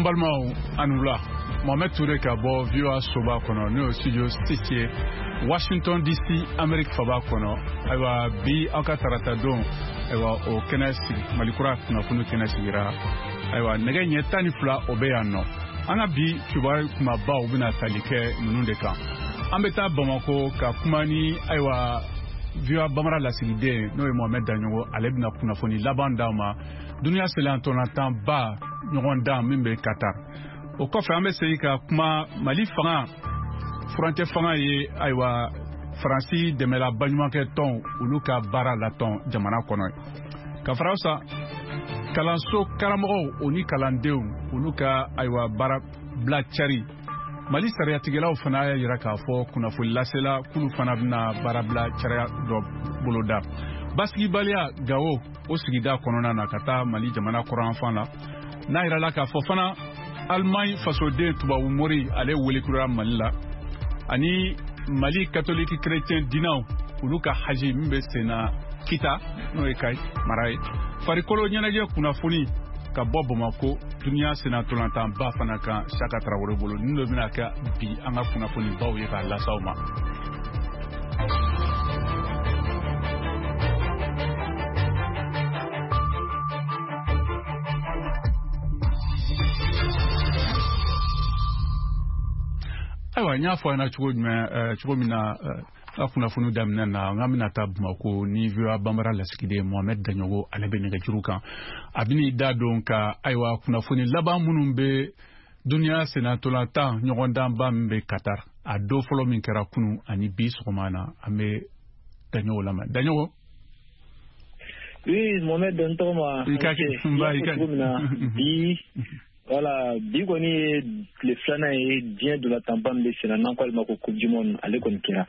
Balimaw, a ni wula. Mohamed Touré ka bɔ VOA soba kɔnɔ, n'o ye studio 6 ye, Washington DC, Amérique faba kɔnɔ. Ayiwa, bi aw ka tarata don, ayiwa, o kɛnɛ sigi, Malikura kunnafoni kɛnɛ sigira. Ayiwa, nɛgɛ ɲɛ 12, o bɛ yan nɔ. An ka bi kibaru kumabaw bɛna tali kɛ ninnu de kan. An bɛ taa Bamako ka kuma ni, ayiwa, VOA Bambara lasigiden, n'o ye Mohamed Daɲɔgɔ. Ale bɛna kunnafoni laban d'aw ma duniya ba ɲɔgɔndan min bɛ Qatar. O kɔfɛ, an bɛ segin ka kuma Mali fanga, furancɛ fanga ye, ayiwa, Faransi dɛmɛla baɲumankɛ tɔn, olu ka baara latɔn jamana kɔnɔ. Ka fara sa kalanso karamɔgɔw, o ni kalandenw, olu ka, ayiwa, baara bila cari. Mali sariyatigɛlaw fana y'a yira k'a fɔ kunnafoni lasela k'olu fana bɛna baarabila cariya dɔ boloda. Basigibaliya Gawo, o sigida kɔnɔna na, ka taa Mali jamana kɔrɔnfan la, n'a yirala k'a fɔ fana Alimaɲi fasoden tubabu mori, ale welekurara Mali la. Ani Mali katoliki kerecɛn dinaw, olu ka haji min bɛ sen na Kita, n'o ye Kayi mara ye. Farikolo ɲɛnajɛ kunnafoni ka bɔ Bamako, duniya sennatolantanba fana kan, Saka Tarawele bolo. Ninnu de bɛna kɛ bi an ka kunnafonibaw ye k'a las'aw ma. Ayiwa, n y'a fɔ a ɲɛna cogo jumɛn, cogo min na ka kunnafoni daminɛ na, n ka bɛna taa Bamako ni VOA Bambara lasigiden Mohamed Daɲɔgɔ. Ale bɛ nɛgɛjuru kan, a bɛn'i da don ka, ayiwa, kunnafoni laban minnu bɛ duniya sennatolantan ɲɔgɔndanba min bɛ Qatar, a don fɔlɔ min kɛra kunu ani bi sɔgɔma na. An bɛ Daɲɔgɔ lamɛn. Daɲɔgɔ. Oui, Mohamed, n tɔgɔma. I ka kɛ nba, i ka cogo min na bi, voilà, bi kɔni ye tile filanan ye diɲɛ dolatanba min bɛ senna, n'an ko ale ma ko Coupe du monde, ale kɔni kɛra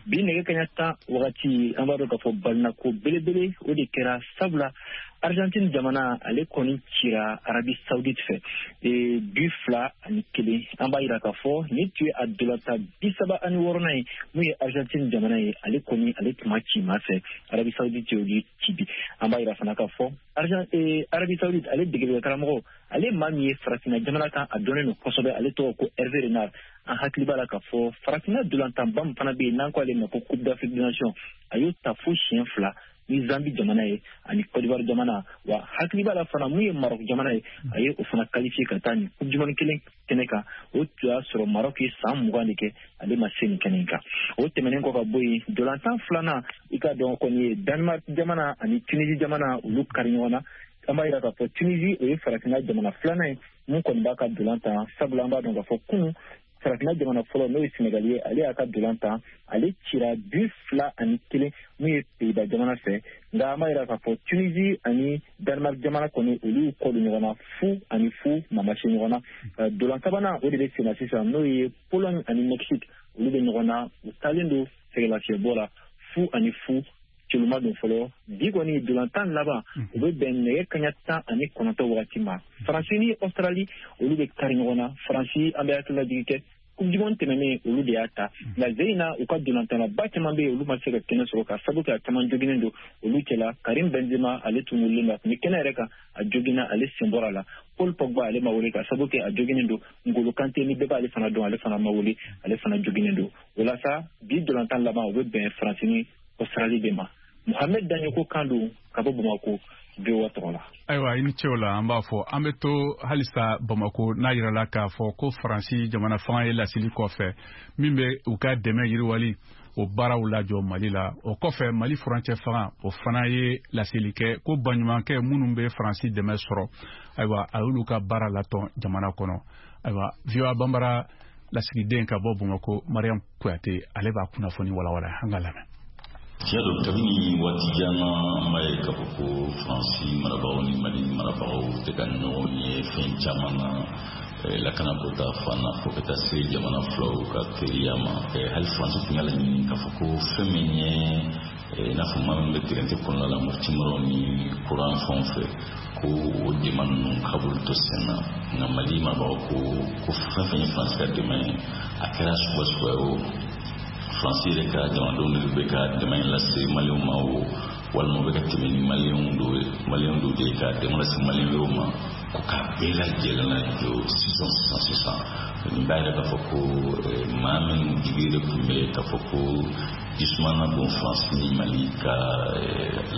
bi nɛgɛ kaɲa 10 wagati. An b'a dɔn k'a fɔ balinako belebele o de kɛra, sabula Argentine jamana, ale kɔni cira Arabie Saoudite fɛ bi 2-1. An b'a yira k'a fɔ nin tun ye a dolatan 36nan ye mun ye Argentine jamana ye, ale kɔni ale tun ma ci maa fɛ, Arabie Saoudite y'olu ci bi. An b'a yira fana k'a fɔ Arabie Saoudite, ale degeli karamɔgɔ, ale maa min ye farafinna jamana kan, a dɔnnen don kosɛbɛ, ale tɔgɔ ko Hervé Renard. An hakili b'a la k'a fɔ farafinna dolantanba min fana bɛ yen, n'an ko ale ma ko Coupe d'Afrique des Nations, a y'o ta fo siɲɛ fila ni Zambie jamana ye ani Côte d'Ivoire jamana. Wa hakili b'a la fana, mun ye Maroc jamana ye, a ye o fana qualifié ka taa nin Coupe du monde kelen kɛnɛ kan. O tun y'a sɔrɔ Maroc ye san 20 de kɛ, ale ma se nin kɛnɛ in kan. O tɛmɛnen kɔ ka bɔ yen, dolantan filanan, i ka dɔn kɔni ye Danemark jamana ani Tunisie jamana, olu kari ɲɔgɔn na. An b'a yira k'a fɔ Tunisie, o ye farafinna jamana filanan ye mun kɔni b'a ka dolan tan, sabula an b'a dɔn k'a fɔ kunun farafinna jamana fɔlɔ, n'o ye Senegal ye, ale y'a ka dolan tan, ale cira bi 2-1 mun ye Pays-Bas jamana fɛ. Nka an b'a yira k'a fɔ Tunisie ani Danemark jamana kɔni, olu y'u kɔ don ɲɔgɔn na 0-0, maa ma se ɲɔgɔn na. Dolan sabanan, o de bɛ sen na sisan, n'o ye Pologne ani Mexique, olu bɛ ɲɔgɔn na, u taalen don sɛgɛlafiɲɛbɔ la 0-0, culuma don fɔlɔ. Bi kɔni dolantan laban, o bɛ bɛn nɛgɛ kaɲa 19 wagati ma. Faransi ni Australie, olu bɛ kari ɲɔgɔn na. Faransi, an bɛ hakililajigi kɛ, Coupe du monde tɛmɛnen, olu de y'a ta. Nka ze in na, u ka dolantanlaba caman bɛ yen, olu ma se ka kɛnɛ sɔrɔ ka sabu kɛ a caman joginen don. Olu cɛla Karim Benzema, ale tun wulilen don, a tun bɛ kɛnɛ yɛrɛ kan, a joginna, ale sen bɔra a la. Paul Pogba, ale ma wele ka sabu kɛ a joginen don. Ngolo Kante, ni bɛɛ b'ale fana dɔn, ale fana ma wele, ale fana joginen don. O la sa, bi dolantan laban, o bɛ bɛn Faransi ni Australie de ma. Mohamed Daɲoko kan don ka bɔ Bamako, VOA tɔgɔ la. Ayiwa, i ni ce o la. An b'a fɔ an bɛ to halisa Bamako, n'a yirala k'a fɔ ko Faransi jamana fanga ye laseli kɔfɛ min bɛ u ka dɛmɛ yiriwali o baaraw lajɔ Mali la. O kɔfɛ, Mali furancɛ fanga, o fana ye laseli kɛ ko baɲumankɛ minnu bɛ Faransi dɛmɛ sɔrɔ, ayiwa, a y'olu ka baara latɔn jamana kɔnɔ. Ayiwa, VOA Bambara lasigiden ka bɔ Bamako, Mariam Kuyate, ale b'a kunnafoni walawala. An ka lamɛn. Tiɲɛ don, kabini waati jan na, an b'a ye k'a fɔ ko Faransi marabagaw ni Mali marabagaw tɛ ka ɲɔgɔn ye fɛn caman na, lakanako ta fan na, fo ka taa se jamana filaw ka teriya ma. Hali Faransi tun y'a laɲini k'a fɔ ko fɛn min ye i n'a fɔ maa min bɛ gɛrɛntɛ kɔnɔna la, Mopti maraw ni kuran fɛnw fɛ, ko o dɛmɛ ninnu k'a b'olu to sen na. Nka Mali marabagaw ko ko fɛn fɛn ye Faransi ka dɛmɛ ye, a kɛra suguya suguya ye o, Faransi yɛrɛ ka jamanadenw de bɛ ka dɛmɛ in lase Maliyɛnw ma o, walima u bɛ ka tɛmɛ ni Maliyɛnw dɔw de ye ka dɛmɛ lase Maliyɛn wɛrɛw ma. Ko k'a bɛɛ lajɛlen lajɔ sisan sisan sisan. Nin b'a yira k'a fɔ ko maa minnu jigi de tun bɛ k'a fɔ ko jisuma na don Faransi ni Mali ka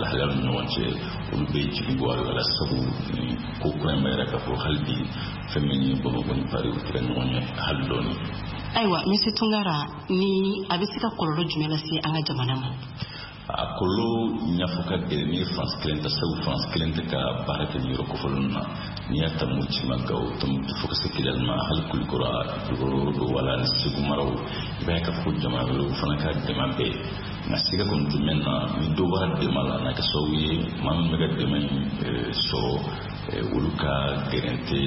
lahalayaw ni ɲɔgɔn cɛ, olu bɛ jigi bɔ a la, sabu nin ko kura in b'a yira k'a fɔ hali bi fɛn min ye Bamakɔ ni Paris, u tɛ ka ɲɔgɔn ye hali dɔɔni. Ayiwa, Monsieur Tunkara, ni a bɛ se ka kɔlɔlɔ jumɛn lase an ka jamana ma? A kɔlɔlɔ ɲɛfɔ ka gɛlɛn n'i ye Faransi kelen ta, sabu Faransi kelen tɛ ka baara kɛ nin yɔrɔ kofɔlen na. N'i y'a ta Moti ma, Gawo, Tɔnbukutu, fo ka se Kidali ma, hali Kulikɔrɔ, Kulukɔrɔ don wala ni Segu maraw, i b'a ye k'a fɔ ko jamana wɛrɛw fana ka dɛmɛ bɛ yen. Nka siga kɔni tɛ mɛn na, ni dɔ bɔra dɛmɛ la, n'a kɛ sababu ye maa min bɛ ka dɛmɛ in sɔrɔ, olu ka gɛrɛntɛ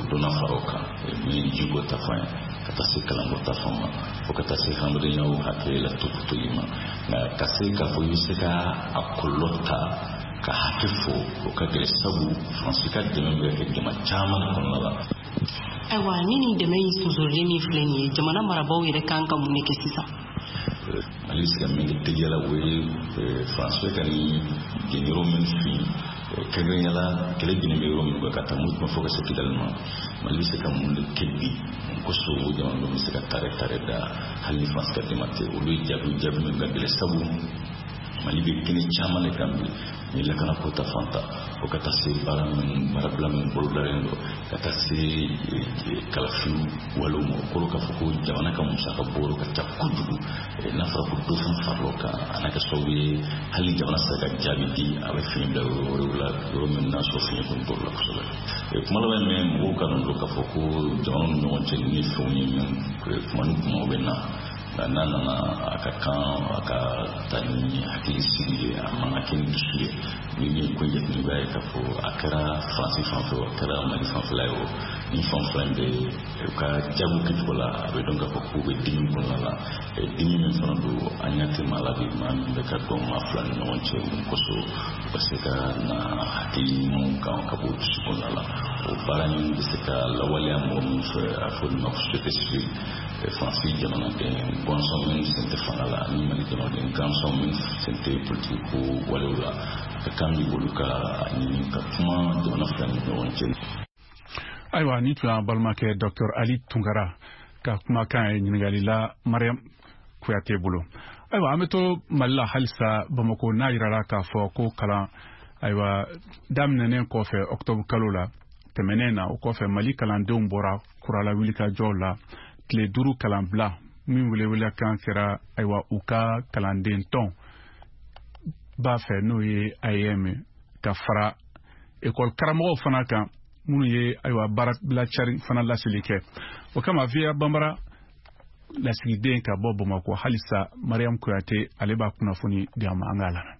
dɔ na fara o kan, min ye jiko ta fan ye, ka taa se kalanko ta fan ma, fo ka taa se hadamadenyaw hakɛ la topotoli ma. Nka ka se k'a fɔ i bɛ se ka a kɔlɔlɔ ta ka hakɛ fɔ, o ka gɛlɛn, sabu Faransi ka dɛmɛ bɛ kɛ jama caman de kɔnɔna la. Ayiwa, ni nin dɛmɛ in sonsorolen min filɛ nin ye, jamana marabaaw yɛrɛ kan ka mun de kɛ sisan? Mali bɛ se ka min kɛ teliya la, o ye Faransi bɛ ka nin jɛnyɔrɔ min fin, kɛrɛnkɛrɛnnenya la kɛlɛ binnen bɛ yɔrɔ min kan, ka taa Moti ma fo ka se Kidali ma, Mali bɛ se ka mun de kɛ bi? Mun kosɔn o jamanadenw bɛ se ka tare tare da hali ni Faransi ka dɛmɛ tɛ? Olu ye jaabi jaabi min ka gɛlɛn, sabu Mali bɛ kɛnɛ caman de kan bi, ni lakanako ta fan ta, fo ka taa se baara min baarabila min bolodalen don, ka taa se kalafiliw walew ma. O kɔrɔ k'a fɔ ko jamana ka musaka bɔyɔrɔ ka ca kojugu. N'a fɔra ko dɔ fana farala o kan, a n'a kɛ sababu ye hali ni jamana sera ka jaabi di, a bɛ fiɲɛ bila yɔrɔ wɛrɛw la, yɔrɔ min n'a sɔrɔ fiɲɛ kɔni bɔr'o la kosɛbɛ. Kuma laban min, mɔgɔw ka dɔn k'a fɔ ko jamanaw ni ɲɔgɔn cɛ ni fɛnw ye min kuma ni kumaw bɛ na, nka n'a nana, a ka kan a ka taa ni hakili sigi ye, a man ka kɛ ni dusu ye. Ni ye ko jateminɛ, i b'a ye k'a fɔ a kɛra Faransi fan fɛ o, a kɛra Mali fanfɛla ye o, ni fan fila in bɛ u ka jaabiw kɛcogo la, a bɛ dɔn k'a fɔ k'u bɛ dimi kɔnɔna la. Dimi min fana don, an ɲɛ tɛ maa la bi, maa min bɛ ka dɔn maa fila ni ɲɔgɔn cɛ mun kosɔn u ka se ka na hakili ɲumanw kan ka bɔ dusu kɔnɔna la. O baara in bɛ se ka lawaleya mɔgɔ min fɛ, a fɔ nin ma ko société civile, Faransi jamanaden gansan minnu sen tɛ fanga la ani Mali jamanaden gansan minnu sen tɛ politiki ko walew la, a ka kan bi olu ka ɲini ka kuma jamana fila ni ɲɔgɔn cɛ. Ayiwa, ni tun y'an balimakɛ Dr Ali Tunkara ka kumakan ye ɲininkali la Mariam Kuyate bolo. Ayiwa, an bɛ to Mali la halisa, Bamako, n'a yirala k'a fɔ ko kalan, ayiwa, daminɛnen kɔfɛ octobre kalo la tɛmɛnen na, o kɔfɛ Mali kalandenw bɔra kurala wulikajɔw la, tile 5 kalanbila min welewele kan kɛra, ayiwa, u ka kalanden tɔn b'a fɛ, n'o ye AEEM, ka fara ekɔli karamɔgɔw fana kan minnu ye, ayiwa, baarabila cari fana laseli kɛ. O kama, VOA Banbara lasigiden ka bɔ Bamakɔ halisa, Mariam Kuyate, ale b'a kunnafoni di an ma. An k'a lamɛn.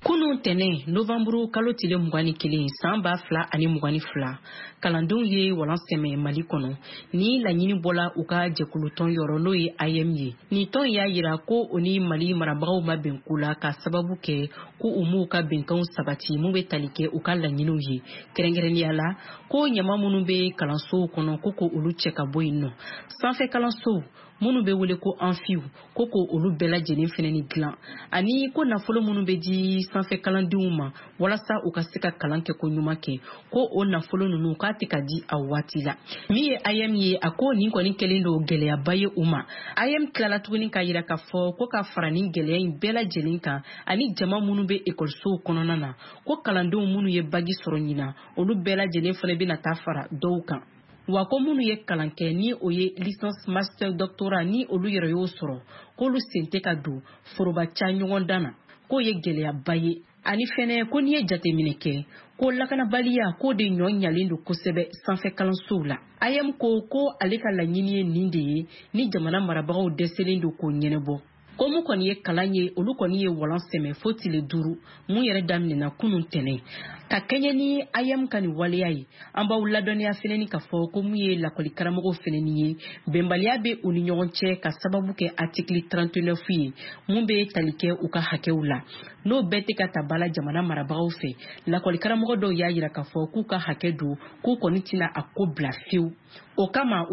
Kunun tɛnɛ, novanburu kalo tile 21, san 2022, kalandenw ye walan sɛmɛ Mali kɔnɔ. Ni laɲini bɔla u ka jɛkulutɔn yɔrɔ, n'o ye AEEM ye. Nin tɔn y'a yira ko o ni Mali marabagaw ma bɛn ko la, ka sababu kɛ ko u m'u ka bɛnkanw sabati mun bɛ tali kɛ u ka laɲiniw ye, kɛrɛnkɛrɛnnenya la ko ɲama minnu bɛ kalansow kɔnɔ, ko olu cɛ ka bɔ yen nɔ, sanfɛ kalansow minnu bɛ wele ko amphiw, ko olu bɛɛ lajɛlen fɛnɛ ni dilan, ani ko nafolo minnu bɛ di sanfɛ kalandenw ma walasa u ka se ka kalan kɛ ko ɲuman kɛ, ko o nafolo ninnu k'a tɛ ka di a waati la. Min ye AEEM ye, a ko nin kɔni kɛlen don gɛlɛyaba ye u ma. AEEM tilala tuguni k'a yira k'a fɔ ko ka fara nin gɛlɛya in bɛɛ lajɛlen kan, ani jama minnu bɛ ekɔlisow kɔnɔna na, ko kalandenw minnu ye bagi sɔrɔ ɲinan, olu bɛɛ lajɛlen fana bɛna taa fara dɔw kan. Wa ko minnu ye kalan kɛ, ni o ye licence, master, doctorat, ni olu yɛrɛ y'o sɔrɔ, k'olu sen tɛ ka don foroba ca ɲɔgɔndan na, k'o ye gɛlɛyaba ye. Ani fɛnɛ ko n'i ye jateminɛ kɛ, ko lakanabaliya k'o de ɲɔ ɲalen don kosɛbɛ sanfɛ kalansow la. AEEM ko ale ka laɲini ye nin de ye, ni jamana marabagaw dɛsɛlen don k'o ɲɛnabɔ. Ko mun kɔni ye kalan ye, olu kɔni ye walan sɛmɛ fo tile 5 mun yɛrɛ daminɛna kunun tɛnɛ. Ka kɛɲɛ ni AEEM ka nin waleya ye, an b'aw ladɔnniya fɛnɛ ni k'a fɔ ko mun ye lakɔli karamɔgɔw fɛnɛ ni ye, bɛnbaliya bɛ u ni ɲɔgɔn cɛ ka sababu kɛ article 39 ye mun bɛ tali kɛ u ka hakɛw la, n'o bɛɛ tɛ ka ta ba la jamana marabagaw fɛ. Lakɔli karamɔgɔ dɔw y'a yira k'a fɔ k'u ka hakɛ don, k'u kɔni tɛna a ko bila fiyewu. O kama